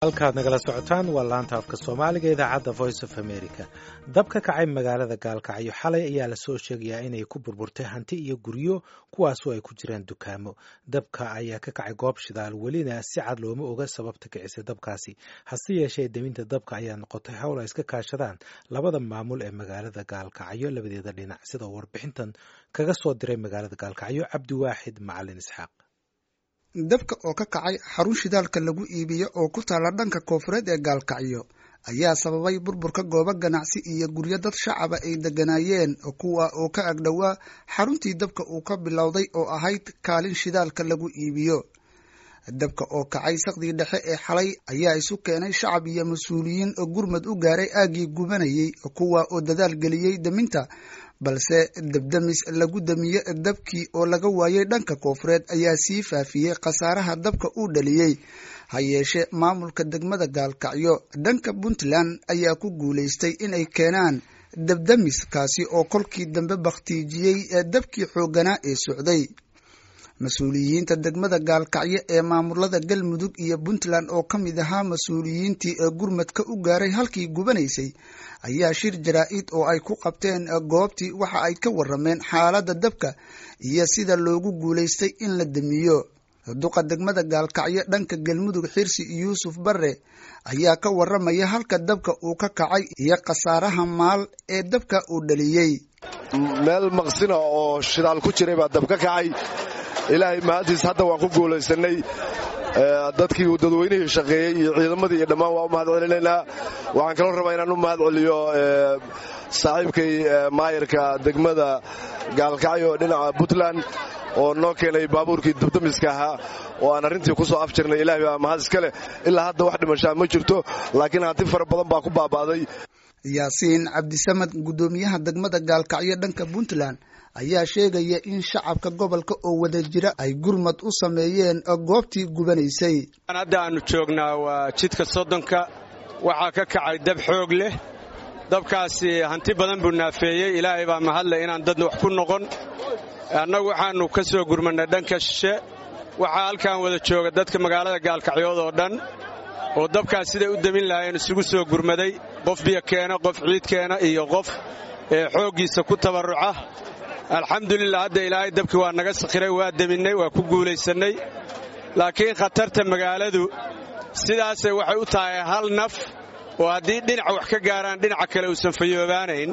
Halkaad nagala socotaan waa laanta afka Soomaaliga, idaacadda Voice of America. Dab ka kacay magaalada Gaalkacyo xalay ayaa lasoo sheegayaa inay ku burburtay hanti iyo guryo, kuwaasoo ay ku jiraan dukaamo. Dabka ayaa ka kacay goob shidaal, welina si cad looma oga sababta kicisay dabkaasi. Hase yeeshee, deminta dabka ayaa noqotay hawl ay iska kaashadaan labada maamul ee magaalada Gaalkacyo labadeeda dhinac, sida uu warbixintan kaga soo diray magaalada Gaalkacyo Cabdiwaaxid Macalin Isxaaq. Dabka oo ka kacay xarun shidaalka lagu iibiyo oo ku taala dhanka koonfureed ee Gaalkacyo ayaa sababay burburka goobo ganacsi iyo guryo dad shacaba ay degganaayeen, kuwa oo ka agdhowaa xaruntii dabka uu ka bilowday oo ahayd kaalin shidaalka lagu iibiyo. Dabka oo kacay saqdii dhexe ee xalay ayaa isu keenay shacab iyo mas-uuliyiin gurmad u gaaray aaggii gubanayay, kuwa oo dadaal geliyey daminta, balse dabdamis lagu damiye dabkii oo laga waayay dhanka koonfureed ayaa sii faafiyey khasaaraha dabka uu dhaliyey. Ha yeeshee, maamulka degmada Gaalkacyo dhanka Puntland ayaa ku guulaystay inay keenaan dabdamis, kaasi oo kolkii dambe bakhtiijiyey dabkii xoogganaa ee socday. Mas-uuliyiinta degmada Gaalkacyo ee maamulada Galmudug iyo Puntland oo ka mid ahaa mas-uuliyiintii ee gurmadka u gaaray halkii gubanaysay ayaa shir jaraa-id oo ay ku qabteen goobtii waxa ay ka warameen xaaladda dabka iyo sida loogu guulaystay in la damiyo. Duqa degmada Gaalkacyo dhanka Galmudug, Xirsi Yuusuf Barre, ayaa ka waramaya halka dabka uu ka kacay iyo khasaaraha maal ee dabka uu dhaliyey. Meel maqsina oo shidaal ku jiray baa dab ka kacay. Ilaahay mahaddiis, hadda waan ku guulaysanay. Dadkii uu dadweynihii shaqeeyey iyo ciidamadii iyo dhammaan waa u mahad celinaynaa. Waxaan kaloo rabaa inaan u mahad celiyo saaxiibkay maayarka degmada Gaalkacyo dhinaca Puntland oo noo keenay baabuurkii dabdamiska ahaa oo aan arrintii ku soo afjirnay. Ilahay baa mahad iska leh, ilaa hadda wax dhimashaa ma jirto, laakiin hanti fara badan baa ku baaba'day. Yaasiin Cabdisamad, guddoomiyaha degmada Gaalkacyo dhanka Puntland, ayaa sheegaya in shacabka gobolka oo wada jira ay gurmad u sameeyeen goobtii gubanaysay. Hadda aanu joognaa waa jidka 30-ka. Waxaa ka kacay dab xoog leh. Dabkaasi hanti badan buu naafeeyey. Ilaahay baa mahadleh inaan dad wax ku noqon. Annagu waxaannu ka soo gurmannay dhanka shishe. Waxaa halkan wada jooga dadka magaalada Gaalkacyood oo dhan oo dabkaas siday u demin lahaayeen isugu soo gurmaday, qof biyo keena, qof ciid keena iyo qof xooggiisa ku tabarruca. Alxamdulilah, hadda Ilaahay dabkii waa naga sakhiray, waa deminnay, waa ku guulaysannay. Laakiin khatarta magaaladu sidaasay waxay u tahay hal naf oo haddii dhinaca wax ka gaaraan dhinaca kale uusan fayoobaanayn.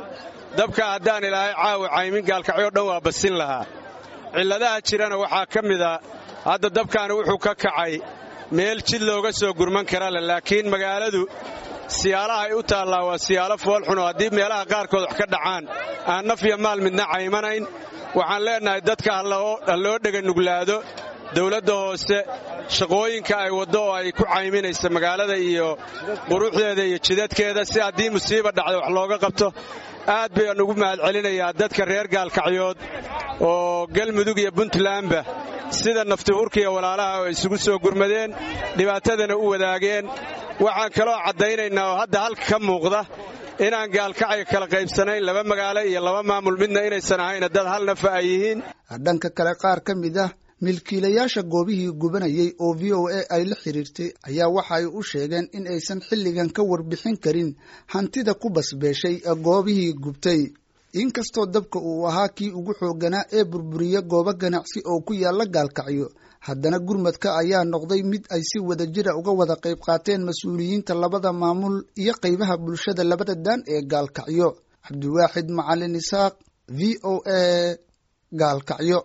Dabka haddaan Ilaahay caawa caymin, Gaalkacyo dhan waa basin lahaa. Cilladaha jirana waxaa ka mida hadda dabkaani wuxuu ka kacay meel jid looga soo gurman kara leh, laakiin magaaladu siyaalaha ay u taallaa waa siyaalo foolxun oo haddii meelaha qaarkood wax ka dhacaan aan naf iyo maal midna caymanayn. Waxaan leennahay dadka ha loo dhega nuglaado dawladda hoose shaqooyinka ay waddo oo ay ku cayminaysa magaalada iyo quruxdeeda iyo jidadkeeda, si haddii musiiba dhacdo wax looga qabto. Aad bayaan ugu mahad celinayaa dadka reer Gaalkacyood oo Galmudug iyo Puntlandba sida naftihurka iyo walaalaha oo isugu soo gurmadeen, dhibaatadana u wadaageen. Waxaan kaloo caddaynaynaa oo hadda halka ka muuqda inaan Gaalkacyo kala qaybsanayn, laba magaalo iyo laba maamul midna inaysan ahayna, dad hal nafa ay yihiin. Dhanka kale, qaar ka mid ah milkiilayaasha goobihii gubanayay oo VOA ay la xiriirtay ayaa waxa ay u sheegeen in aysan xilligan ka warbixin karin hantida ku basbeeshay goobihii gubtay. Inkastoo dabka uu ahaa kii ugu xoogganaa ee burburiya goobo ganacsi oo ku yaala Gaalkacyo, haddana gurmadka ayaa noqday mid ay si wada jira uga wada qayb qaateen mas-uuliyiinta labada maamul iyo qaybaha bulshada labada daan ee Gaalkacyo. Cabdiwaaxid Macalin Isaaq, VOA, Gaalkacyo.